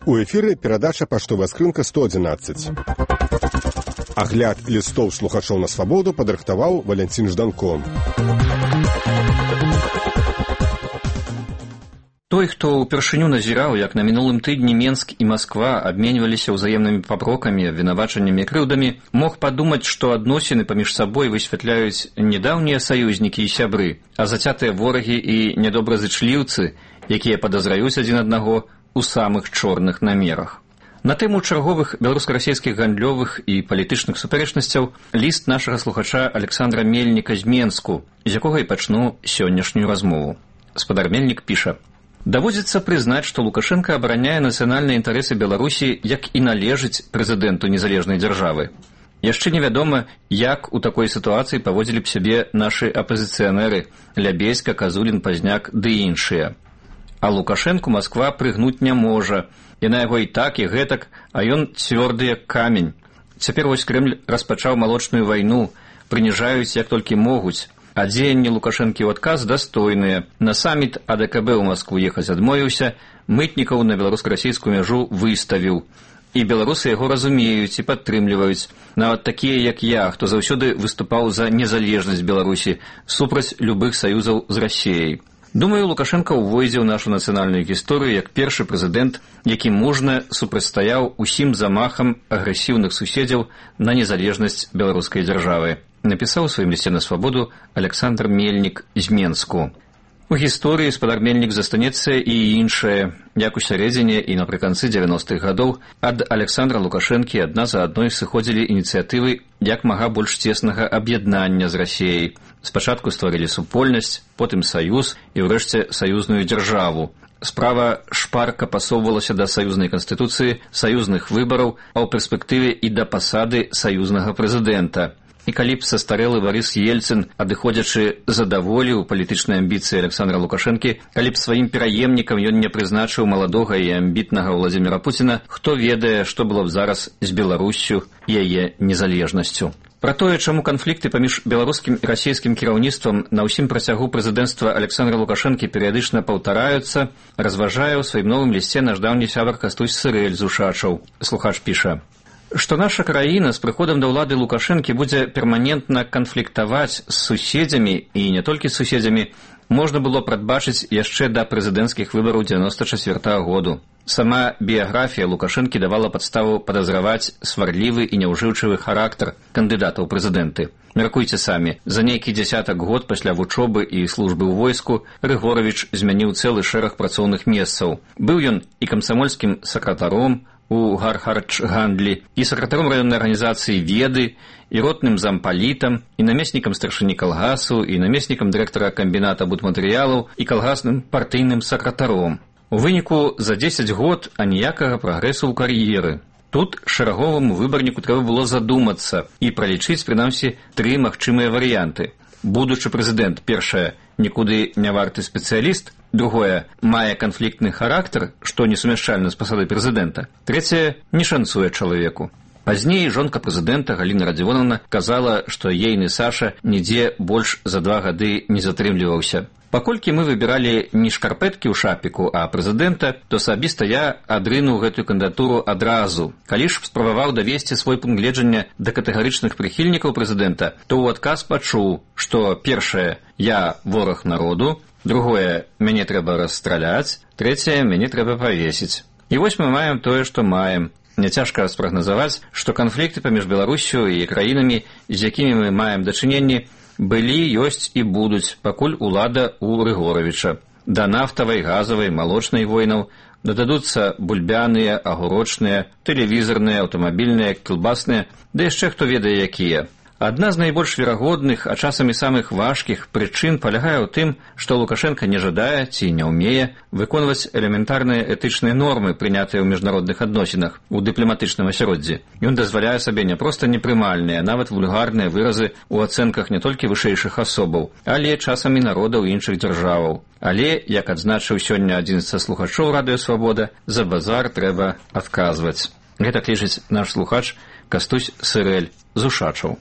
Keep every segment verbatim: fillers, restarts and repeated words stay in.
У эфіры перадача «Паштовая скрынка сто адзінаццаць». Агляд лістоў слухачоў на свабоду падрыхтаваў Валянцін Жданко. Той, хто ўпершыню назіраў, як на мінулым тыдні Менск і Масква абменьваліся ўзаемнымі папрокамі, вінавачаннямі і крыўдамі, мог падумаць, што адносіны паміж сабой высвятляюць не даўнія саюзнікі і сябры, а зацятыя ворагі і нядобразычліўцы, якія падазраюць адзін аднаго у самых чорных намерах. На тэму чарговых беларуска-расійскіх гандлёвых і палітычных супярэчнасцяў ліст нашага слухача Александра Мельніка з Менску, з якога і пачну сённяшнюю размову. Спадар Мельнік піша: «Даводзіцца прызнаць, што Лукашенко абараняе нацыянальныя інтарэсы Беларусі, як і належыць прэзідэнту незалежнай дзяржавы. Яшчэ невядома, як у такой сітуацыі паводзілі б сябе нашы апазіцыянеры Лябеська, Казулін, Пазняк ды іншыя. А Лукашенку Масква прыгнуць не можа. Яна яго і так, і гэтак, а ён цвёрды як камень. Цяпер вось Крэмль распачаў малочную вайну, прыніжаюць як толькі могуць. А дзеянні Лукашэнкі ў адказ дастойныя. На саміт А Дэ Ка Бэ ў Маскву ехаць адмовіўся, мытнікаў на беларуска-расійскую мяжу выставіў. І беларусы яго разумеюць і падтрымліваюць. Нават такія, як я, хто заўсёды выступаў за незалежнасць Беларусі, супраць любых саюзаў з Расіяй. Думаю, Лукашенко ўвойдзе ў нашу нацыянальную гісторыю як першы прэзідэнт, які мужна супрацьстаяў усім замахам агрэсіўных суседзяў на незалежнасць беларускай дзяржавы. Напісаў у сваім лісце на свабоду Александр Мельнік з Менску. У гісторыі спадар Мельнік застанецца і іншае. Як у сярэдзіне і напрыканцы дзевяностых гадоў ад Александра Лукашэнкі адна за адной сыходзілі ініцыятывы як мага больш цеснага аб'яднання з Расіяй. Спачатку стварылі супольнасць, потым саюз і ўрэшце саюзную дзяржаву. Справа шпарка пасоўвалася да саюзнай канстытуцыі, саюзных выбараў, а ў перспектыве і да пасады саюзнага прэзідэнта. І калі б састарэлы Барыс Ельцын, адыходзячы задаволіў палітычныя амбіцыі Александра Лукашэнкі, калі б сваім пераемнікам ён не прызначыў маладога і амбітнага Владзіміра Пуціна, хто ведае, што было б зараз з Беларуссю і яе незалежнасцю. Пра тое, чаму канфлікты паміж беларускім і расійскім кіраўніцтвам на ўсім працягу прэзідэнцтва Александра Лукашэнкі перыядычна паўтараюцца, разважае ў сваім новым лісце наш даўні сябар Кастусь Сырэль з Ушачаў. Слухач піша: што наша краіна з прыходам да ўлады Лукашэнкі будзе перманентна канфліктаваць з суседзямі і не толькі з суседзямі, можна было прадбачыць яшчэ да прэзідэнцкіх выбараў дзевяноста чацвёртага году. Сама біяграфія Лукашэнкі давала падставу падазраваць сварлівы і няўжыўчывы характар кандыдата ў прэзідэнты. Мяркуйце самі, за нейкі дзясятак год пасля вучобы і службы ў войску Рыгоравіч змяніў цэлы шэраг працоўных месцаў. Быў ён і камсамольскім сакратаром у Гархарч-гандлі, і сакратаром раённай арганізацыі «Веды», і ротным зампалітам, і намеснікам старшыні калгасу, і намеснікам дырэктара камбіната будматэрыялаў, і калгасным партыйным сакратаром. У выніку за дзесяць год аніякага прагрэсу ў кар'еры. Тут шэраговаму выбарніку трэба было задумацца і пралічыць, прынамсі, тры магчымыя варыянты. Будучы прэзідэнт, першае, нікуды не варты спецыяліст, другое, мае канфліктны характар, што несумяшчальна з пасадай прэзідэнта, трэцяе, не шанцуе чалавеку. Пазней жонка прэзідэнта Галіна Радзівоновна казала, што ейны Саша нідзе больш за два гады не затрымліваўся. Паколькі мы выбіралі не шкарпэткі ў шапіку, а прэзідэнта, то асабіста я адрынуў гэтую кандыдатуру адразу. Калі ж спрабаваў давесці свой пункт гледжання да катэгарычных прыхільнікаў прэзідэнта, то ў адказ пачуў, што першае, я вораг народу, другое, мяне трэба расстраляць, трэцяе, мяне трэба павесіць. І вось мы маем тое, што маем. Няцяжка спрагназаваць, што канфлікты паміж Беларуссю і краінамі, з якімі мы маем дачыненні, былі, ёсць і будуць, пакуль улада ў Рыгоравіча. Да нафтавай, газавай, малочнай войнаў дададуцца бульбяныя, агурочныя, тэлевізарныя, аўтамабільныя, кілбасныя, да яшчэ хто ведае якія. Адна з найбольш верагодных, а часамі самых важкіх прычын палягае ў тым, што Лукашенко не жадае ці не ўмее выконваць элементарныя этычныя нормы, прынятыя ў міжнародных адносінах у дыпламатычным асяроддзі. Ён дазваляе сабе не проста непрымальныя, нават вульгарныя выразы ў ацэнках не толькі вышэйшых асобаў, але часамі народаў іншых дзяржаваў. Але, як адзначыў сёння адзін са слухачоў Радыё Свабода, за базар трэба адказваць. Гэтак лічыць наш слухач Кастусь Сырэль з Ушачаў.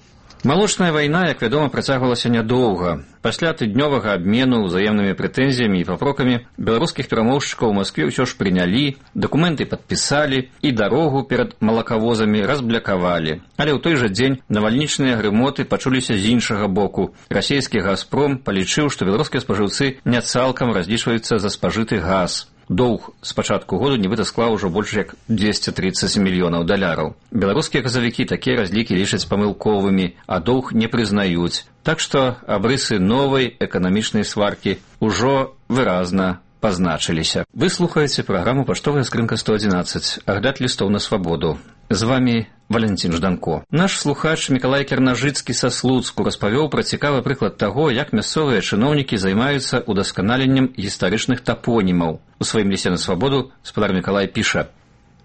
Малочная вайна, як вядома, працягвалася нядоўга. Пасля тыднёвага абмену ўзаемнымі прэтэнзіямі і папрокамі беларускіх перамоўшчыкаў у Маскве ўсё ж прынялі, дакументы падпісалі і дарогу перад малакавозамі разблякавалі. Але ў той жа дзень навальнічныя грымоты пачуліся з іншага боку. Расійскі «Газпром» палічыў, што беларускія спажыўцы не цалкам разлічваюцца за спажыты газ. Доўг з пачатку году нібыта склаў ужо больш як дзвесце трыццаць мільёнаў даляраў. Беларускія газавікі такія разлікі лічаць памылковымі, а доўг не прызнаюць. Так што абрысы новай эканамічнай сваркі ўжо выразна пазначыліся. Вы слухаеце праграму «Паштовая скрынка сто адзінаццаць», агляд лістоў на свабоду. З вамі Валентин Жданко. Наш слухач Мікалай Кірнажыцкі са Слуцку распавёў пра цікавы прыклад таго, як мясцовыя чыноўнікі займаюцца удасканаленнем гістарычных тапонімаў. У сваім лісце на свабоду спадар Мікалай піша: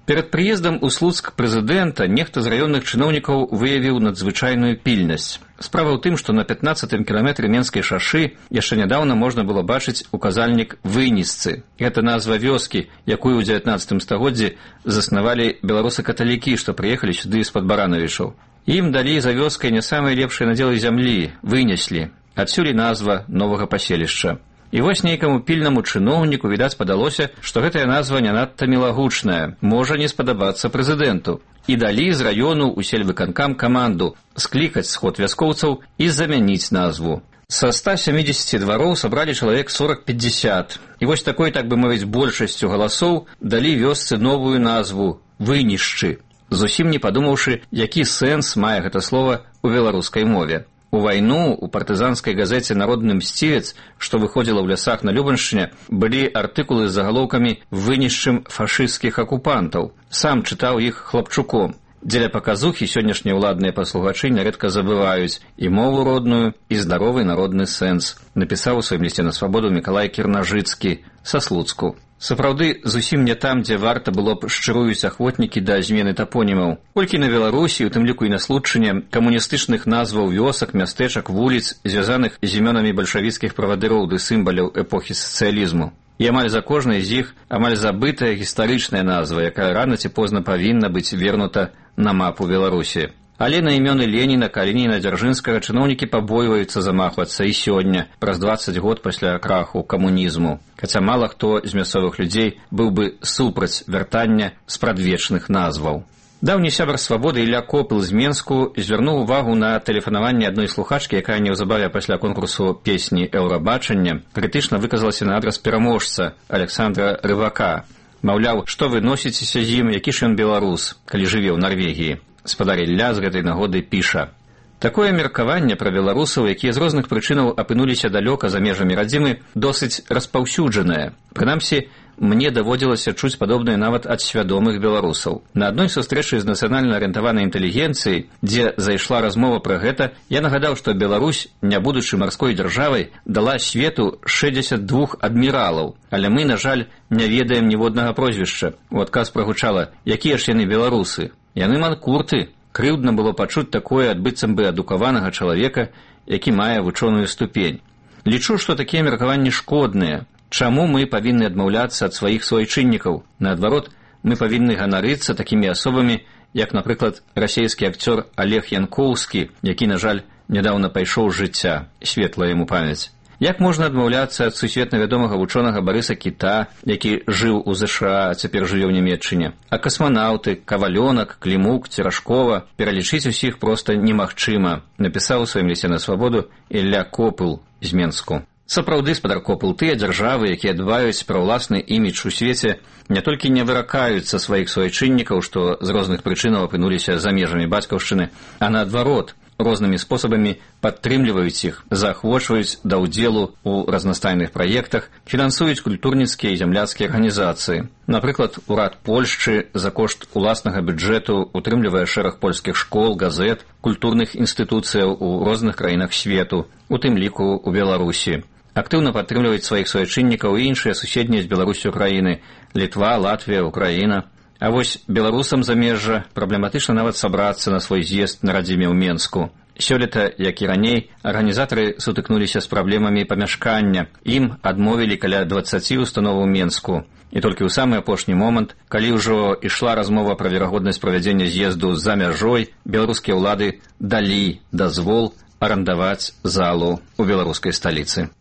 «Перад прыездам у Слуцк прэзідэнта нехта з раённых чыноўнікаў выявіў надзвычайную пільнасць. Справа ў тым, што на пятнаццатым кіламетры Менскай шашы яшчэ нядаўна можна было бачыць указальнік Вынісцы. Гэта назва вёскі, якую ў дзевятнаццатым стагоддзі заснавалі беларусы-каталікі, што прыехалі сюды з-пад Баранавічаў. Ім далі за вёскай не самыя лепшыя надзелы зямлі, вынеслі. Адсюль і назва новага паселішча. І вось нейкаму пільнаму чыноўніку, відаць, падалося, што гэтая назва не надта мілагучная, можа не спадабацца прэзідэнту. І далі з раёну ў сельвыканкам каманду склікаць сход вяскоўцаў і замяніць назву. Са ста сямідзесяці двароў сабралі чалавек сорок-пятьдесят. І вось такой, так бы мовіць, большасцю галасоў далі вёсцы новую назву «Вынішчы», зусім не падумаўшы, які сэнс мае гэта слова ў беларускай мове. У вайну у партызанскай газеце «Народны мсцівец», што выходзіла ў лясах на Любаншчыне, былі артыкулы з загалоўкамі «Вынішчым фашысцкіх акупантаў». Сам чытаў іх хлапчуком. Дзеля паказухі сённяшнія ўладныя паслугачы нярэдка забываюць і мову родную, і здаровы народны сэнс, напісаў у сваім лісце на свабоду Мікалай Кірнажыцкі са Слуцку. Сапраўды, зусім не там, дзе варта было б шчыруюць ахвотнікі да змены тапонімаў. Колькі на Беларусі, у тым ліку і на Случчыне, камуністычных назваў вёсак, мястэчак, вуліц, звязаных з імёнамі бальшавіцкіх правадыроў ды сімваляў эпохі сацыялізму. І амаль за кожнай з іх амаль забытая гістарычная назва, якая рана ці позна павінна быць вернута на мапу Беларусі. Але на імёны Леніна, Калініна, Дзяржынскага чыноўнікі пабойваюцца замахвацца і сёння, праз дваццаць год пасля краху камунізму. Хаця мала хто з мясцовых людзей быў бы супраць вяртання спрадвечных назваў. Даўні сябар свабоды Ілля Копыл з Менску звярнуў увагу на тэлефанаванне адной слухачкі, якая неўзабаве пасля конкурсу песні «Еўрабачання» крытычна выказалася на адрас пераможца Александра Рывака. Маўляў, што вы носіцеся з ім, які ж ён беларус, калі жыве ў Нарвегіі. Спадар Ілля з гэтай нагоды піша: «Такое меркаванне пра беларусаў, якія з розных прычынаў апынуліся далёка за межамі радзімы, досыць распаўсюджанае. Прынамсі, мне даводзілася чуць падобнае нават ад свядомых беларусаў. На адной сустрэчы з нацыянальна арыентаванай інтэлігенцыяй, дзе зайшла размова пра гэта, я нагадаў, што Беларусь, не будучы марской дзяржавай, дала свету шэсцьдзесят два адміралаў, але мы, на жаль, не ведаем ніводнага прозвішча». У адказ прагучала: «Якія ж яны беларусы? Яны манкурты». Крыўдна было пачуць такое ад быццам бы адукаванага чалавека, які мае вучоную ступень. Лічу, што такія меркаванні шкодныя. Чаму мы павінны адмаўляцца ад сваіх суайчыннікаў? Наадварот, мы павінны ганарыцца такімі асобамі, як, напрыклад, расійскі акцёр Олег Янкоўскі, які, на жаль, нядаўна пайшоў з жыцця, светлая яму памяць. Як можна адмаўляцца ад сусветна вядомага вучонага Барыса Кіта, які жыў у ЗША, а цяпер жыве ў Нямецчыне? А касманаўты, Кавалёнак, Клімук, Церашкова пералічыць усіх проста немагчыма, напісаў у сваім лісце на свабоду Ілля Копыл з Менску. Сапраўды, спадар Копыл, тыя дзяржавы, якія дбаюць пра ўласны імідж у свеце, не толькі не выракаюцца сваіх суайчыннікаў, што з розных прычынаў апынуліся за межамі бацькаўшчыны, а наадварот, рознымі спосабамі падтрымліваюць іх, заахвочваюць да ўдзелу ў разнастайных праектах, фінансуюць культурніцкія і зямляцкія арганізацыі. Напрыклад, урад Польшчы за кошт уласнага бюджэту утрымлівае шэраг польскіх школ, газет, культурных інстытуцыяў у розных краінах свету, у тым ліку ў Беларусі. Актыўна падтрымліваюць сваіх суайчыннікаў і іншыя суседнія з Беларусю краіны – Літва, Латвія, Украіна. А вось беларусам замежжа праблематычна нават сабрацца на свой з'езд на радзіме ў Менску. Сёлета, як і раней, арганізатары сутыкнуліся з праблемамі памяшкання. Ім адмовілі каля дваццаці установаў Менску. І толькі ў самы апошні момант, калі ўжо ішла размова пра верагоднасць правядзення з'езду за мяжой, беларускія ўлады далі дазвол арандаваць залу ў беларускай сталіцы.